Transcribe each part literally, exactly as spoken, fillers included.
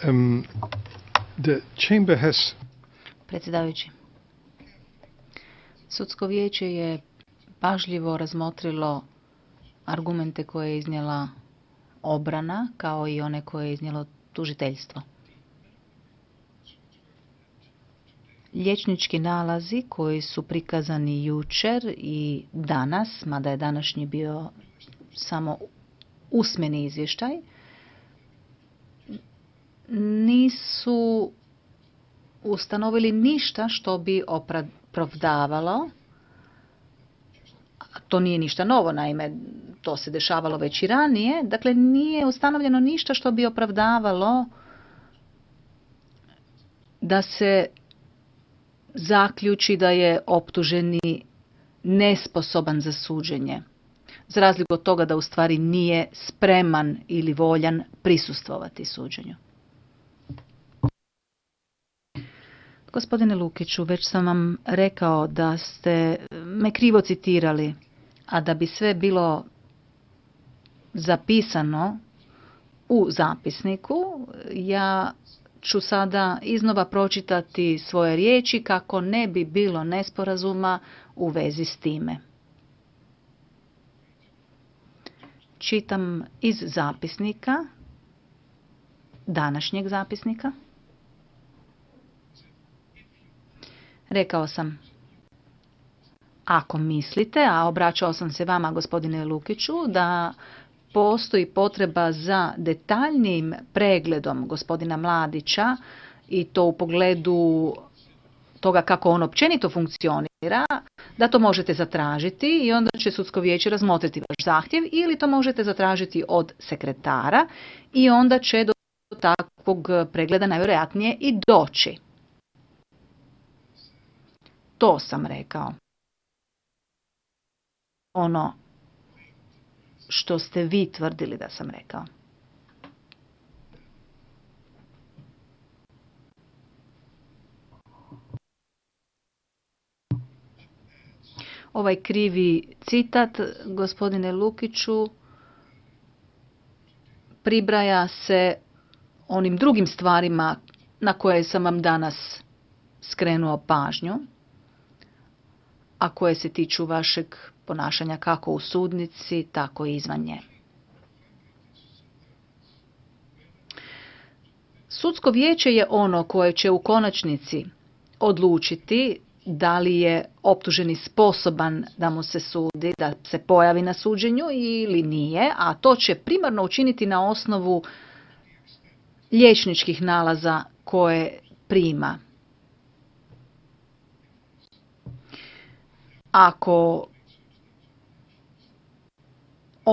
Um, the chamber has... Predsjedavajući, sudsko vijeće je pažljivo razmotrilo argumente koje je iznijela obrana, kao i one koje je iznijelo tužiteljstvo. Liječnički nalazi koji su prikazani jučer i danas, mada je današnji bio samo usmeni izvještaj, nisu ustanovili ništa što bi opravdavalo. To nije ništa novo, naime, to se dešavalo već i ranije. Dakle, nije ustanovljeno ništa što bi opravdavalo da se zaključi da je optuženi nesposoban za suđenje, za razliku od toga da u stvari nije spreman ili voljan prisustvovati suđenju. Gospodine Lukiću, već sam vam rekao da ste me krivo citirali, a da bi sve bilo zapisano u zapisniku, ja ću sada iznova pročitati svoje riječi kako ne bi bilo nesporazuma u vezi s time. Čitam iz zapisnika, današnjeg zapisnika. Rekao sam, ako mislite, a obraćao sam se vama, gospodine Lukiću, da postoji potreba za detaljnijim pregledom gospodina Mladića i to u pogledu toga kako on općenito funkcionira, da to možete zatražiti i onda će sudsko vijeće razmotriti vaš zahtjev, ili to možete zatražiti od sekretara i onda će do takvog pregleda najvjerojatnije i doći. To sam rekao. Ono što ste vi tvrdili da sam rekao. Ovaj krivi citat, gospodine Lukiću, pribraja se onim drugim stvarima na koje sam vam danas skrenuo pažnju, a koje se tiču vašeg ponašanja kako u sudnici, tako i izvan nje. Sudsko vijeće je ono koje će u konačnici odlučiti da li je optuženi sposoban da mu se sudi, da se pojavi na suđenju ili nije, a to će primarno učiniti na osnovu liječničkih nalaza koje prima. Ako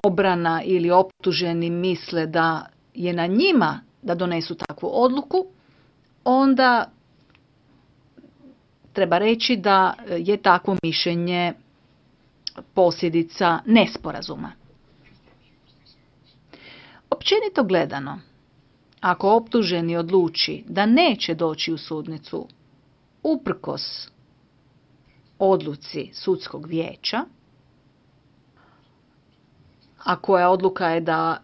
obrana ili optuženi misle da je na njima da donesu takvu odluku, onda treba reći da je takvo mišljenje posljedica nesporazuma. Općenito gledano, ako optuženi odluči da neće doći u sudnicu uprkos odluci sudskog vijeća, a koja odluka je da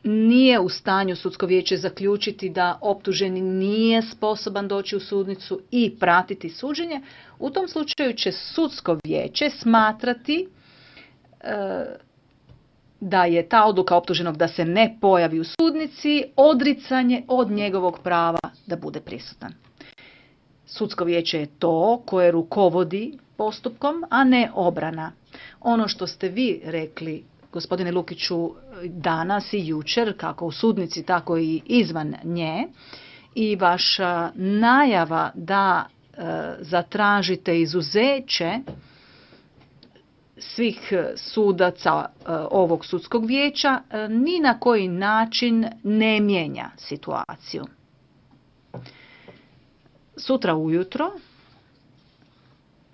nije u stanju sudsko vijeće zaključiti da optuženi nije sposoban doći u sudnicu i pratiti suđenje, u tom slučaju će sudsko vijeće smatrati e, da je ta odluka optuženog da se ne pojavi u sudnici odricanje od njegovog prava da bude prisutan. Sudsko vijeće je to koje rukovodi postupkom, a ne obrana. Ono što ste vi rekli, gospodine Lukiću, danas i jučer, kako u sudnici, tako i izvan nje, i vaša najava da e, zatražite izuzeće svih sudaca e, ovog sudskog vijeća, e, ni na koji način ne mijenja situaciju. Sutra ujutro,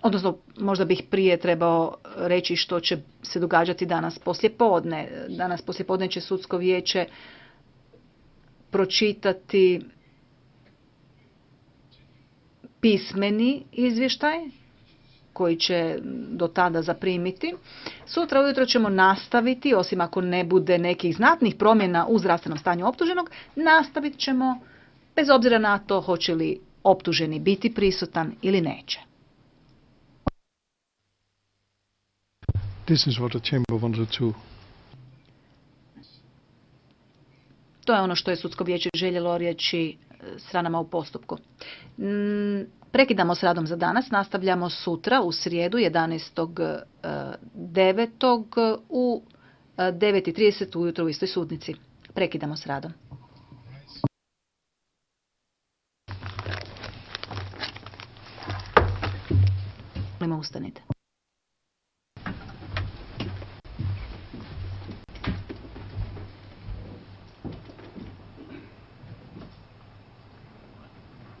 odnosno možda bih prije trebao reći što će se događati danas poslijepodne. Danas poslijepodne će sudsko vijeće pročitati pismeni izvještaj koji će do tada zaprimiti. Sutra ujutro ćemo nastaviti, osim ako ne bude nekih znatnih promjena u zdravstvenom stanju optuženog, nastavit ćemo bez obzira na to hoće li optuženi biti prisutan ili neće. This is what the chamber wanted to. To je ono što je sudsko vijeće željelo reći stranama u postupku. Prekidamo s radom za danas, nastavljamo sutra u srijedu jedanaestog devetog u devet i trideset ujutro u istoj sudnici. Prekidamo s radom. Ustanite.